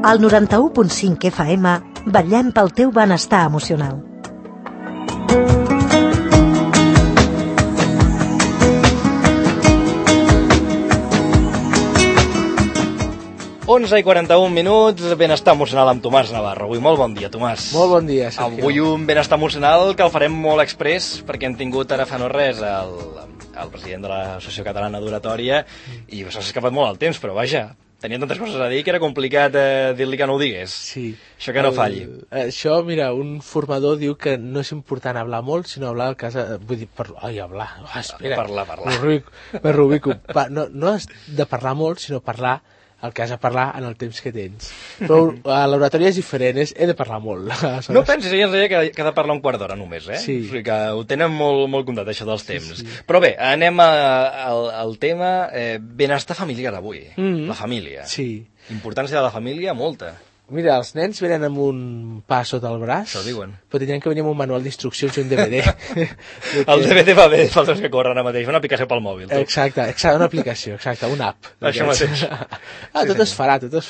Al 91.5 FM vetllem pel teu benestar emocional. Onze i 41 minuts, benestar emocional amb Tomàs Navarro. Avui molt bon dia, Tomàs. Molt bon dia, Sergio. Avui un benestar emocional que el farem molt express, perquè hem tingut ara fa no res el president de l'Associació Catalana d'Oratòria i s'ha escapat molt el temps, però vaja, tenia tantes coses a dir que era complicat dir-li que no ho digués. Sí. Això que no falli. Això, mira, un formador diu que no és important hablar molt, sinó hablar al cas... Vull dir, hablar. Espera. Parlar. Me rubico. No has de parlar molt, sinó parlar el que has de parlar en el temps que tens. Però a l'oratòria és diferent, he de parlar molt. No pensis, ella ens deia que ha de parlar un quart d'hora només, Sí. O sigui que ho tenen molt comptat, això dels temps. Sí. Però bé, anem al tema benestar familiar avui. La família. Sí. Importància de la família, molta. Mira, els nens venen amb un pa sota el braç, Això diuen. però tindran que venir amb un manual d'instruccions i un DVD. El DVD va bé, pels que corren ara mateix, una aplicació pel mòbil. Exacte, una aplicació, una app. Això mateix. Tot es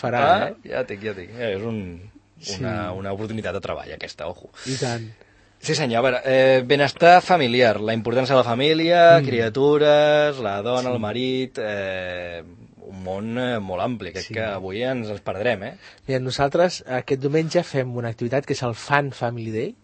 farà. Ja dic. És una oportunitat de treball, aquesta, ojo. I tant. Sí, senyor, a veure, benestar familiar, la importància de la família, criatures, la dona, el marit... un món molt ampli, crec que avui ens perdrem, Mira, nosaltres aquest diumenge fem una activitat que és el Fun Family Day,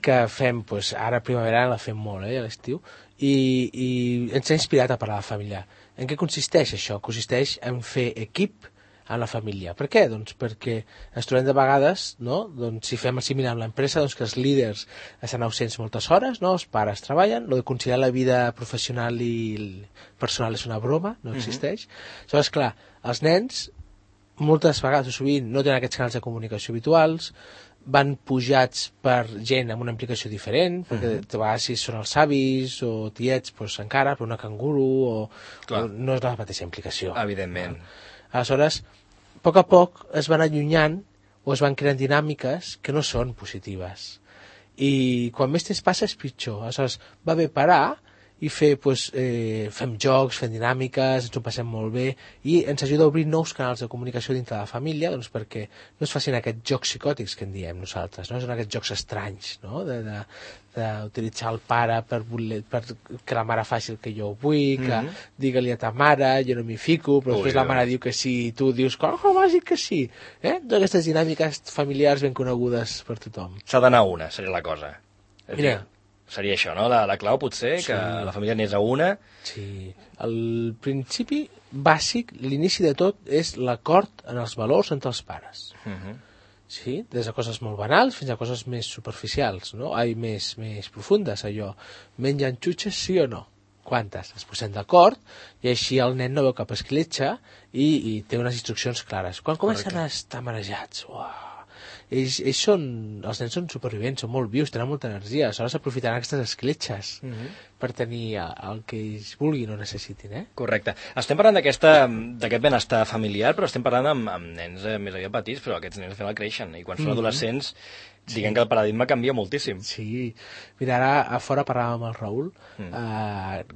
que fem, ara a primavera la fem molt, a l'estiu, i ens ha inspirat a parlar de família. En què consisteix això? Consisteix en fer equip en la família. Per què? Doncs perquè ens trobem de vegades, no? Doncs si fem el similar amb l'empresa, doncs que els líders estan ausents moltes hores, no? Els pares treballen, lo de considerar la vida professional i personal és una broma, no existeix. Aleshores, clar, els nens moltes vegades o sovint no tenen aquests canals de comunicació habituals, van pujats per gent amb una implicació diferent, perquè de vegades si són els avis o tiets, doncs encara, per una canguru o no és la mateixa implicació. Evidentment. Aleshores, a poc es van allunyant o es van creant dinàmiques que no són positives. I quan més temps passa és pitjor. Aleshores, va bé parar i fem jocs, fem dinàmiques, ens ho passem molt bé i ens ajuda a obrir nous canals de comunicació dintre de la família, doncs perquè no es facin aquests jocs psicòtics que en diem nosaltres, no? Són aquests jocs estranys, no? D'utilitzar el pare per que la mare faci el que jo vull, que digue-li a ta mare, jo no m'hi fico, però després la mare diu que sí i tu dius, com vas dir que sí? Totes aquestes dinàmiques familiars ben conegudes per tothom. S'ha d'anar a una, seria la cosa. Mira, seria això, no? La clau potser, que la família anés a una. Sí. El principi bàsic, l'inici de tot, és l'acord en els valors entre els pares. Sí? Des de coses molt banals fins a coses més superficials, no? Més profundes, allò. Mengen xutxes, sí o no? Quantes? Es posem d'acord i així el nen no veu cap escletxa i té unes instruccions clares. Quan comencen a estar marejats, uau! Els nens són supervivents, són molt vius, tenen molta energia, aleshores aprofitaran aquestes escletxes per tenir el que ells vulguin o necessitin. Correcte. Estem parlant d'aquest benestar familiar, però estem parlant amb nens més aviat petits, però aquests nens al final creixen, i quan són adolescents diguem que el paradigma canvia moltíssim. Sí. Mira, ara a fora parlàvem amb el Raül.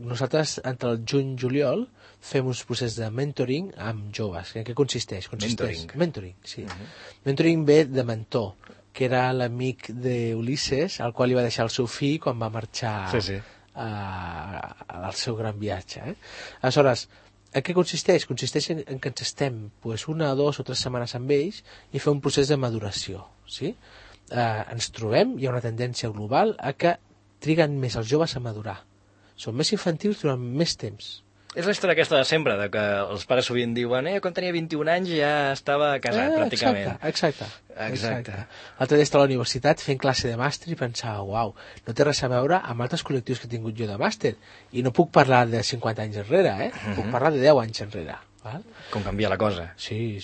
Nosaltres, entre el juny i juliol, fem uns processos de mentoring amb joves. En què consisteix? Mentoring, sí. Mentoring ve de mentor, que era l'amic d'Ulisses, al qual li va deixar el seu fill quan va marxar al seu gran viatge. Aleshores, en què consisteix? Consisteix en que ens estem 1, 2 o 3 setmanes amb ells i fer un procés de maduració, sí? Ens trobem, hi ha una tendència global a que triguen més els joves a madurar. Són més infantils durant més temps. És la història aquesta de sempre, de que els pares sovint diuen quan tenia 21 anys ja estava casat, pràcticament. Exacte. L'altre dia estava a la universitat fent classe de màster i pensava, uau, no té res a veure amb altres col·lectius que he tingut jo de màster. I no puc parlar de 50 anys enrere, puc parlar de 10 anys enrere. Val? Com canvia la cosa. Sí.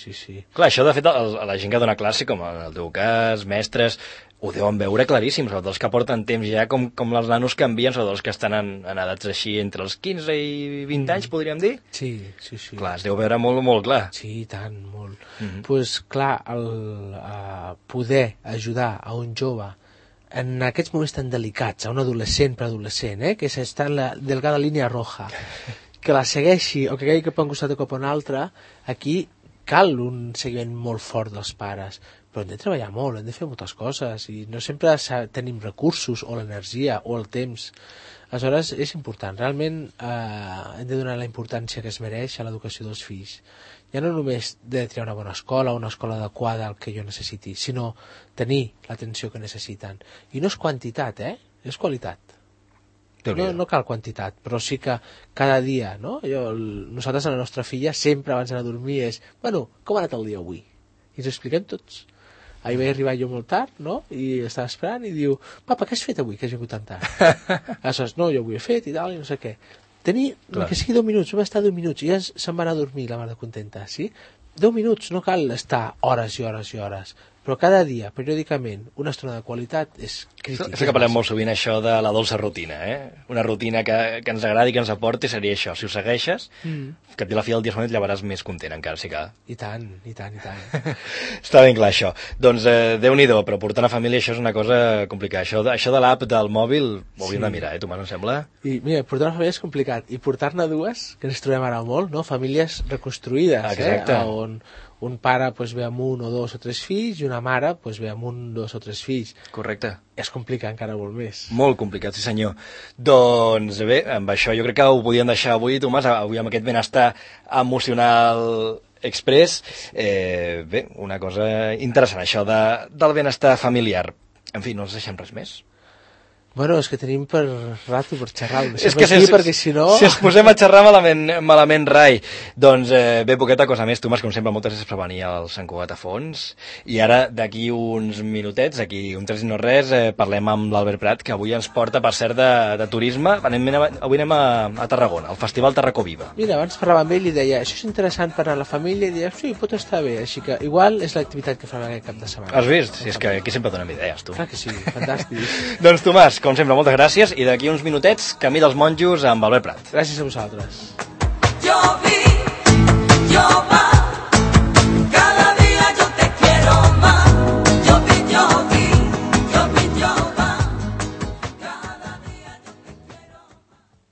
Clar, això de fet la gent que dona classe, com en el teu cas, mestres, ho deuen veure claríssim, sobretot els que porten temps ja, com els nanos canvien, sobretot els que estan en edats així entre els 15 i 20 anys, podríem dir? Sí. Clar, es deu veure molt, molt clar. Sí, tant, molt. Doncs clar, poder ajudar a un jove en aquests moments tan delicats, a un adolescent, preadolescent, que està en la delgada línia roja, que la segueixi o que caigui cap a un costat o cap a un altre, aquí cal un seguiment molt fort dels pares, però hem de treballar molt, hem de fer moltes coses, i no sempre tenim recursos, o l'energia, o el temps. Aleshores, és important. Realment hem de donar la importància que es mereix a l'educació dels fills. Ja no només de triar una bona escola, una escola adequada al que jo necessiti, sinó tenir l'atenció que necessiten. I no és quantitat, és qualitat. No cal quantitat, però sí que cada dia, no? Nosaltres a la nostra filla sempre abans d'anar a dormir és, bueno, com ha anat el dia avui? I ens ho expliquem tots. Ahir vaig arribar jo molt tard, no? I estava esperant i diu, papa, què has fet avui que has vingut tan tard? Aleshores, no, jo ho he fet i tal, i no sé què. Tenir, que sigui 10 minuts, només estar 10 minuts, i ja se'n va anar a dormir la mare contenta, sí? 10 minuts, no cal estar hores i hores i hores, però cada dia, periòdicament, una estona de qualitat és crítica. Sé que parlem molt sovint això de la dolça rutina, Una rutina que ens agradi, que ens aporti, seria això. Si ho segueixes, que et la fi del dia et llevaràs més content encara, sí que... I tant. Està ben clar, això. Doncs Déu-n'hi-do, però portar una família això és una cosa complicada. Això de l'app del mòbil ho hauríem de mirar, Tomàs, em sembla? I mira, portar una família és complicat, i portar-ne dues, que ens trobem ara molt, no? Famílies reconstruïdes, exacte. On un pare ve amb un o dos o tres fills i una mare ve amb un, dos o tres fills. Correcte. És complicat encara molt més. Molt complicat, sí senyor. Doncs bé, amb això jo crec que ho podíem deixar avui, Tomàs, avui amb aquest benestar emocional express. Bé, una cosa interessant, això del benestar familiar. En fi, no ens deixem res més. Bueno, és que tenim per rato per xerrar. És que perquè si no... Si ens posem a xerrar malament rai. Doncs bé, poqueta cosa més, Tomàs, com sempre, moltes gràcies per venir al Sant Cugat a fons. I ara, d'aquí uns minutets, d'aquí un 3 i no res, parlem amb l'Albert Prat, que avui ens porta, per cert, de turisme. Avui anem a Tarragona, al Festival Tarracó Viva. Mira, abans parlava amb ell i deia, això és interessant per anar a la família, i deia, sí, pot estar bé, així que igual és l'activitat que farem aquest cap de setmana. Has vist? Si és que aquí sempre donem idees, tu. Clar que sí, fantàstic. Doncs Tomàs, com sempre, moltes gràcies, i d'aquí uns minutets, Camí dels Monjos amb Albert Prat. Gràcies a vosaltres.